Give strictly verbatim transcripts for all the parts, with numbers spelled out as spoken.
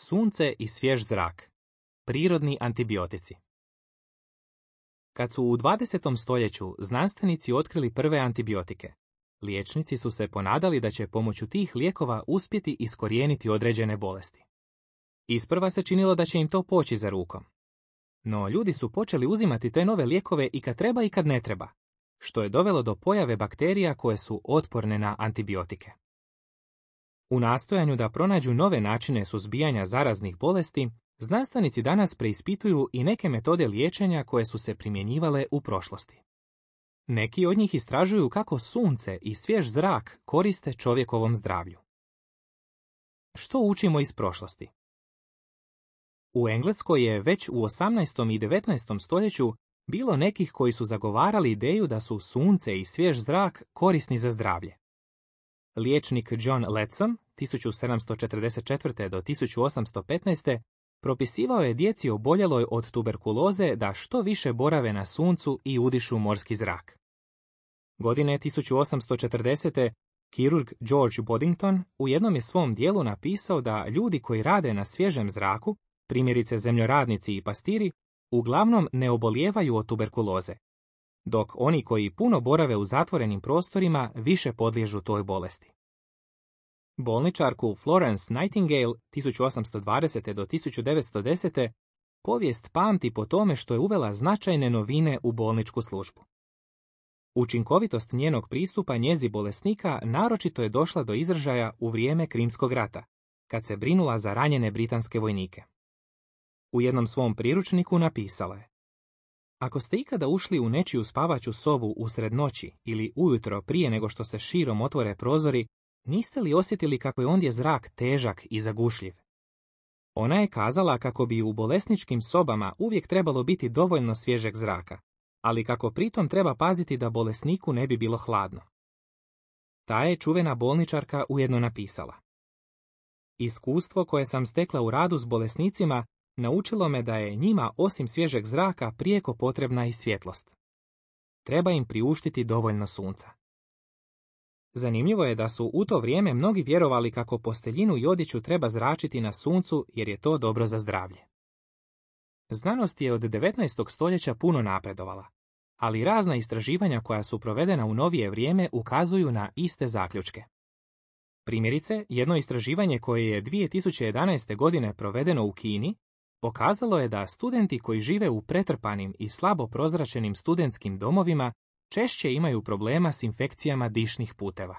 Sunce i svjež zrak. Prirodni antibiotici. Kad su u dvadesetom stoljeću znanstvenici otkrili prve antibiotike, liječnici su se ponadali da će pomoću tih lijekova uspjeti iskorijeniti određene bolesti. Isprva se činilo da će im to poći za rukom. No ljudi su počeli uzimati te nove lijekove i kad treba i kad ne treba, što je dovelo do pojave bakterija koje su otporne na antibiotike. U nastojanju da pronađu nove načine suzbijanja zaraznih bolesti, znanstvenici danas preispituju i neke metode liječenja koje su se primjenjivale u prošlosti. Neki od njih istražuju kako sunce i svjež zrak koriste čovjekovom zdravlju. Što učimo iz prošlosti? U Engleskoj je već u osamnaestom i devetnaestom stoljeću bilo nekih koji su zagovarali ideju da su sunce i svjež zrak korisni za zdravlje. Liječnik John Leadsom, tisuću sedamsto četrdeset četvrte do tisuću osamsto petnaeste. propisivao je djeci oboljeloj od tuberkuloze da što više borave na suncu i udišu morski zrak. Godine tisuću osamsto četrdesete. kirurg George Boddington u jednom je svom dijelu napisao da ljudi koji rade na svježem zraku, primjerice zemljoradnici i pastiri, uglavnom ne obolijevaju od tuberkuloze, dok oni koji puno borave u zatvorenim prostorima više podliježu toj bolesti. Bolničarku Florence Nightingale tisuću osamsto dvadesete. do tisuću devetsto desete. povijest pamti po tome što je uvela značajne novine u bolničku službu. Učinkovitost njenog pristupa njezi bolesnika naročito je došla do izražaja u vrijeme Krimskog rata, kad se brinula za ranjene britanske vojnike. U jednom svom priručniku napisala je: Ako ste ikada ušli u nečiju spavaću sobu usred noći ili ujutro prije nego što se širom otvore prozori, niste li osjetili kako je ondje zrak težak i zagušljiv? Ona je kazala kako bi u bolesničkim sobama uvijek trebalo biti dovoljno svježeg zraka, ali kako pritom treba paziti da bolesniku ne bi bilo hladno. Ta je čuvena bolničarka ujedno napisala: Iskustvo koje sam stekla u radu s bolesnicima naučilo me da je njima osim svježeg zraka prijeko potrebna i svjetlost. Treba im priuštiti dovoljno sunca. Zanimljivo je da su u to vrijeme mnogi vjerovali kako posteljinu i odjeću treba zračiti na suncu jer je to dobro za zdravlje. Znanost je od devetnaestog stoljeća puno napredovala, ali razna istraživanja koja su provedena u novije vrijeme ukazuju na iste zaključke. Primjerice, jedno istraživanje koje je dvije tisuće jedanaeste. godine provedeno u Kini pokazalo je da studenti koji žive u pretrpanim i slabo prozračenim studentskim domovima češće imaju problema s infekcijama dišnih puteva.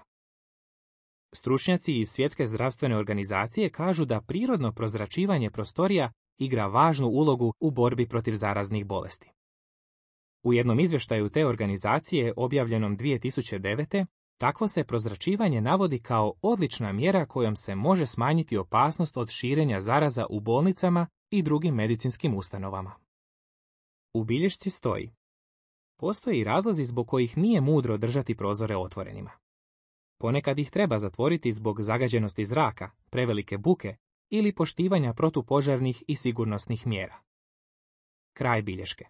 Stručnjaci iz Svjetske zdravstvene organizacije kažu da prirodno prozračivanje prostorija igra važnu ulogu u borbi protiv zaraznih bolesti. U jednom izvještaju te organizacije, objavljenom dvije tisuće devete. takvo se prozračivanje navodi kao odlična mjera kojom se može smanjiti opasnost od širenja zaraza u bolnicama i drugim medicinskim ustanovama. U bilješci stoji: Postoje i razlozi zbog kojih nije mudro držati prozore otvorenima. Ponekad ih treba zatvoriti zbog zagađenosti zraka, prevelike buke ili poštivanja protupožarnih i sigurnosnih mjera. Kraj bilješke.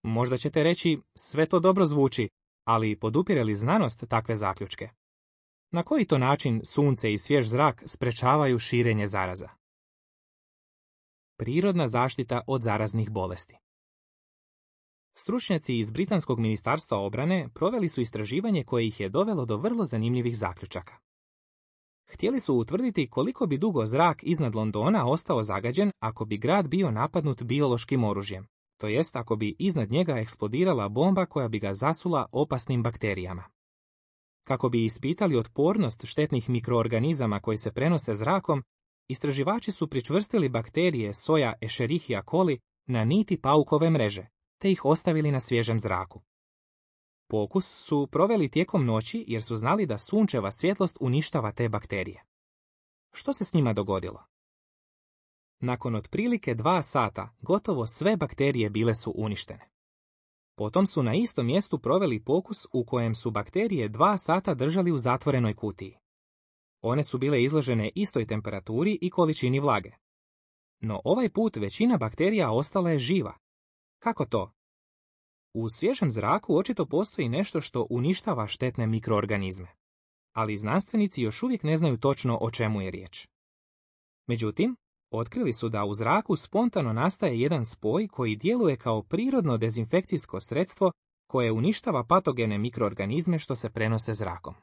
Možda ćete reći, sve to dobro zvuči, ali podupire li znanost takve zaključke? Na koji to način sunce i svjež zrak sprečavaju širenje zaraza? Prirodna zaštita od zaraznih bolesti. Stručnjaci iz Britanskog ministarstva obrane proveli su istraživanje koje ih je dovelo do vrlo zanimljivih zaključaka. Htjeli su utvrditi koliko bi dugo zrak iznad Londona ostao zagađen ako bi grad bio napadnut biološkim oružjem, to jest ako bi iznad njega eksplodirala bomba koja bi ga zasula opasnim bakterijama. Kako bi ispitali otpornost štetnih mikroorganizama koji se prenose zrakom, istraživači su pričvrstili bakterije soja Escherichia coli na niti paukove mreže, te ih ostavili na svježem zraku. Pokus su proveli tijekom noći jer su znali da sunčeva svjetlost uništava te bakterije. Što se s njima dogodilo? Nakon otprilike dva sata gotovo sve bakterije bile su uništene. Potom su na istom mjestu proveli pokus u kojem su bakterije dva sata držali u zatvorenoj kutiji. One su bile izložene istoj temperaturi i količini vlage. No ovaj put većina bakterija ostala je živa. Kako to? U svježem zraku očito postoji nešto što uništava štetne mikroorganizme. Ali znanstvenici još uvijek ne znaju točno o čemu je riječ. Međutim, otkrili su da u zraku spontano nastaje jedan spoj koji djeluje kao prirodno dezinfekcijsko sredstvo koje uništava patogene mikroorganizme što se prenose zrakom.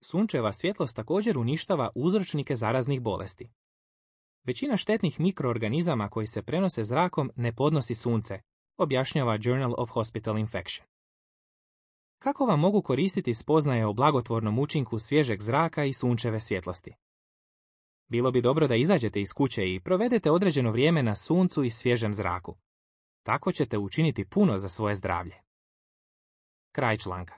Sunčeva svjetlost također uništava uzročnike zaraznih bolesti. Većina štetnih mikroorganizama koji se prenose zrakom ne podnosi sunce, objašnjava Journal of Hospital Infection. Kako vam mogu koristiti spoznaje o blagotvornom učinku svježeg zraka i sunčeve svjetlosti? Bilo bi dobro da izađete iz kuće i provedete određeno vrijeme na suncu i svježem zraku. Tako ćete učiniti puno za svoje zdravlje. Kraj članka.